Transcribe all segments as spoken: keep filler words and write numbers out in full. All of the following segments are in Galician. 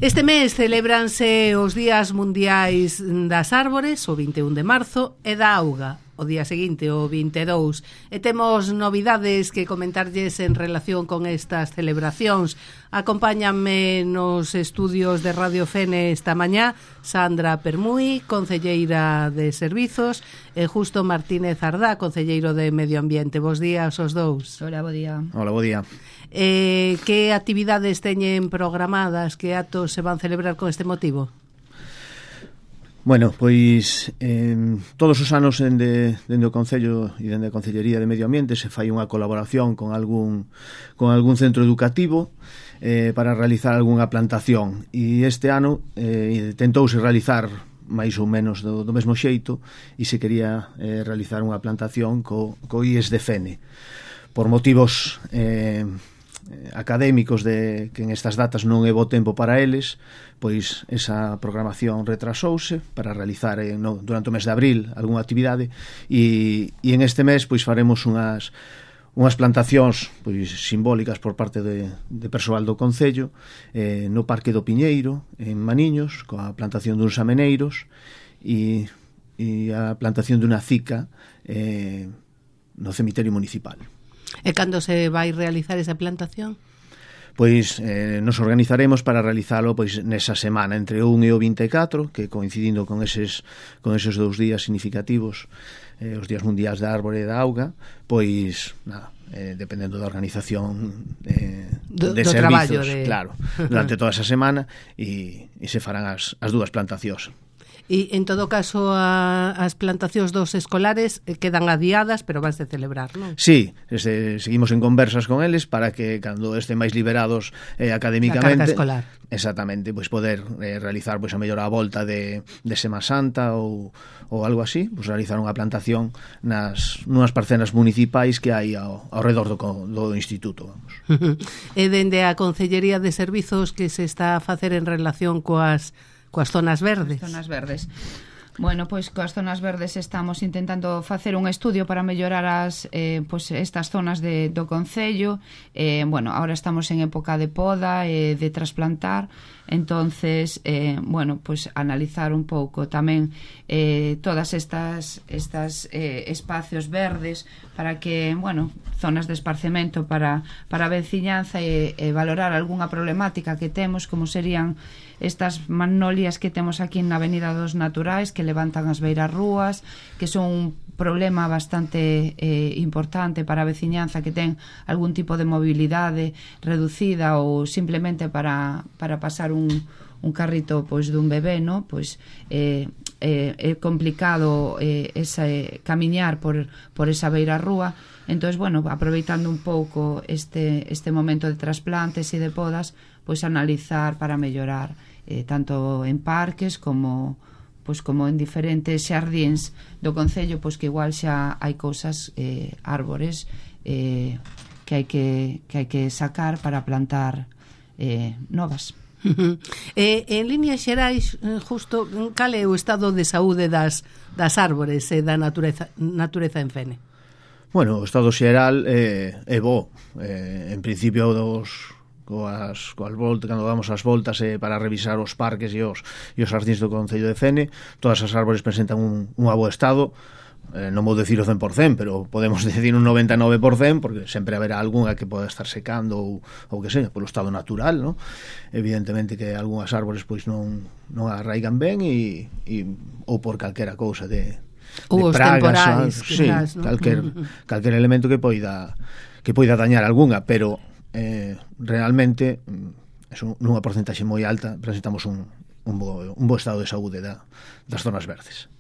Este mes celébranse os Días Mundiais das Árbores, o vinte e un de marzo, e da auga, o día seguinte, o vinte e dous. E temos novidades que comentarlles en relación con estas celebracións. Acompáñanme nos estudios de Radio Fene esta mañá Sandra Permui, concelleira de Servizos, e Justo Martínez Ardá, concelleiro de Medio Ambiente. Bos días os dous. Hola, bo día. Hola, bo día. Eh, que actividades teñen programadas, que actos se van celebrar con este motivo? Bueno, pois eh, todos os anos dende, dende o Concello e dende a Concellería de Medio Ambiente se fai unha colaboración con algún con algún centro educativo eh, para realizar algunha plantación, e este ano eh, tentouse realizar máis ou menos do, do mesmo xeito, e se quería eh, realizar unha plantación co, co I E S de Fene por motivos eh, académicos de que en estas datas non é bo tempo para eles, pois esa programación retrasouse para realizar eh, no, durante o mes de abril algunha actividade, e, e en este mes pois faremos unhas unhas plantacións pois simbólicas por parte de, de persoal do Concello eh, no Parque do Piñeiro en Maniños, coa plantación duns ameneiros e, e a plantación dunha cica eh, no cemiterio municipal. E cando se vai realizar esa plantación? Pois eh, nos organizaremos para realizalo pois nesa semana entre o un e o vinte e catro, que coincidindo con eses con eses dous días significativos, eh, os días mundiais da árbore e da auga, pois nada, eh, dependendo da organización eh, do, de do servizos, de... claro, durante toda esa semana, e, e se farán as, as dúas plantacións. E, en todo caso, a, as plantacións dos escolares quedan adiadas, pero vanse celebrar, non? Sí, este, seguimos en conversas con eles para que, cando estén máis liberados eh, académicamente... A carga escolar. Exactamente, pois poder eh, realizar pois a mellor a volta de, de Sema Santa ou, ou algo así, pois realizar unha plantación nas nunhas parcelas municipais que hai ao, ao redor do, do instituto, vamos. E dende a Concellería de Servizos, que se está a facer en relación coas coas zonas verdes? As zonas verdes. Bueno, pois coas zonas verdes estamos intentando facer un estudio para mellorar as eh, pois estas zonas de, do Concello. Eh, bueno, ahora estamos en época de poda e eh, de trasplantar, entonces, eh, bueno, pois analizar un pouco tamén eh, todas estas estas eh, espacios verdes para que, bueno, zonas de esparcemento para, para a veciñanza e, e valorar algunha problemática que temos, como serían estas magnolias que temos aquí na Avenida dos Naturais, que levantan as beiras rúas, que son un problema bastante eh, importante para a veciñanza que ten algún tipo de mobilidade reducida ou simplemente para, para pasar un, un carrito pois dun bebé, no? Pois eh, eh, é complicado eh, ese, camiñar por, por esa beira rúa. Entón, bueno, aproveitando un pouco este, este momento de trasplantes e de podas, pois analizar para mellorar eh, tanto en parques como pois como en diferentes xardíns do Concello, pois que igual xa hai cousas, eh, árbores eh, que hai que, que hai que sacar para plantar eh, novas. E, en líneas xerais, Justo, cal é o estado de saúde das, das árbores e da natureza, natureza en Fene? Bueno, o estado xeral é, é bo. Eh, en principio dos coas, coas voltas, cando damos as voltas eh, para revisar os parques e os, e os xardíns do Concello de Fene, todas as árbores presentan un, un bo estado. Eh, non vou decir o cen por cento, pero podemos decir un noventa e nove por cento, porque sempre haberá algunha que poda estar secando ou, ou que seja, polo estado natural, ¿no? Evidentemente que algunhas árbores pois non, non arraigan ben e, e, ou por calquera cousa de, de os pragas, temporais, sí, quizás, ¿no? calquer, calquer elemento que poida que poida dañar algunha, pero eh, realmente eso, nunha porcentaxe moi alta presentamos un, un, bo, un bo estado de saúde da, das zonas verdes.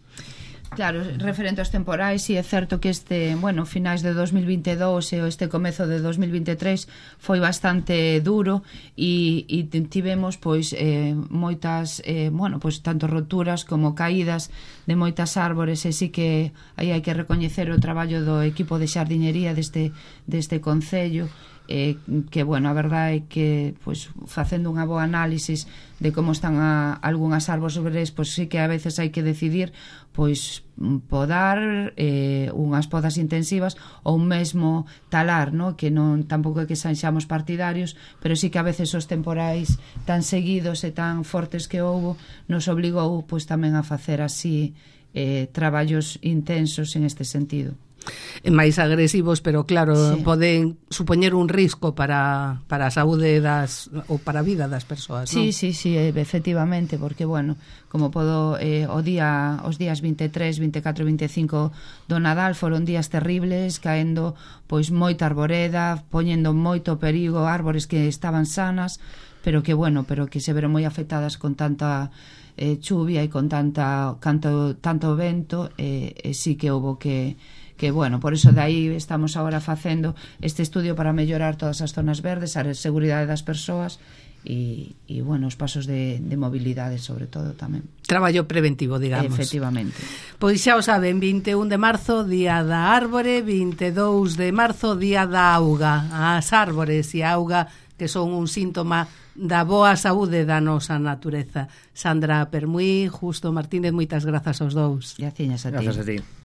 Claro, referente aos temporais, si é certo que este, bueno, finais de dos mil vinte e dous e este comezo de dos mil vinte e tres foi bastante duro e, e tivemos pois eh, moitas, eh, bueno, pois tanto roturas como caídas de moitas árbores, e si que aí hai que recoñecer o traballo do equipo de xardiñería deste, deste Concello, eh, que, bueno, a verdade é que pois, facendo unha boa análisis de como están a, algunhas árbores, pois sí que a veces hai que decidir pois podar eh, unhas podas intensivas ou mesmo talar, no? Que non tampouco é que sexamos partidarios, pero sí que a veces os temporais tan seguidos e tan fortes que houbo nos obligou pois tamén a facer así eh, traballos intensos en este sentido. Máis agresivos, pero claro, sí. poden supoñer un risco para, para a saúde das ou para a vida das persoas, non? Sí, sí, sí, efectivamente, porque, bueno, como podo, eh, o día, os días vinte e tres, vinte e catro, vinte e cinco do Nadal foron días terribles, caendo pois moita arboreda, poñendo moito perigo árbores que estaban sanas, pero que, bueno, pero que se veron moi afectadas con tanta eh, chuvia e con tanta canto, tanto vento, e eh, eh, sí que houve que que, bueno, por iso de aí estamos agora facendo este estudio para mellorar todas as zonas verdes, a seguridade das persoas e, e bueno, os pasos de, de mobilidade sobre todo tamén. Traballo preventivo, digamos. Efectivamente. Pois xa o saben, vinte e un de marzo, Día da Árbore, vinte e dous de marzo, Día da Auga. As árbores e a auga que son un síntoma da boa saúde da nosa natureza. Sandra Permuí, Justo Martínez, moitas grazas aos dous. Graciñas a ti. Grazas a ti.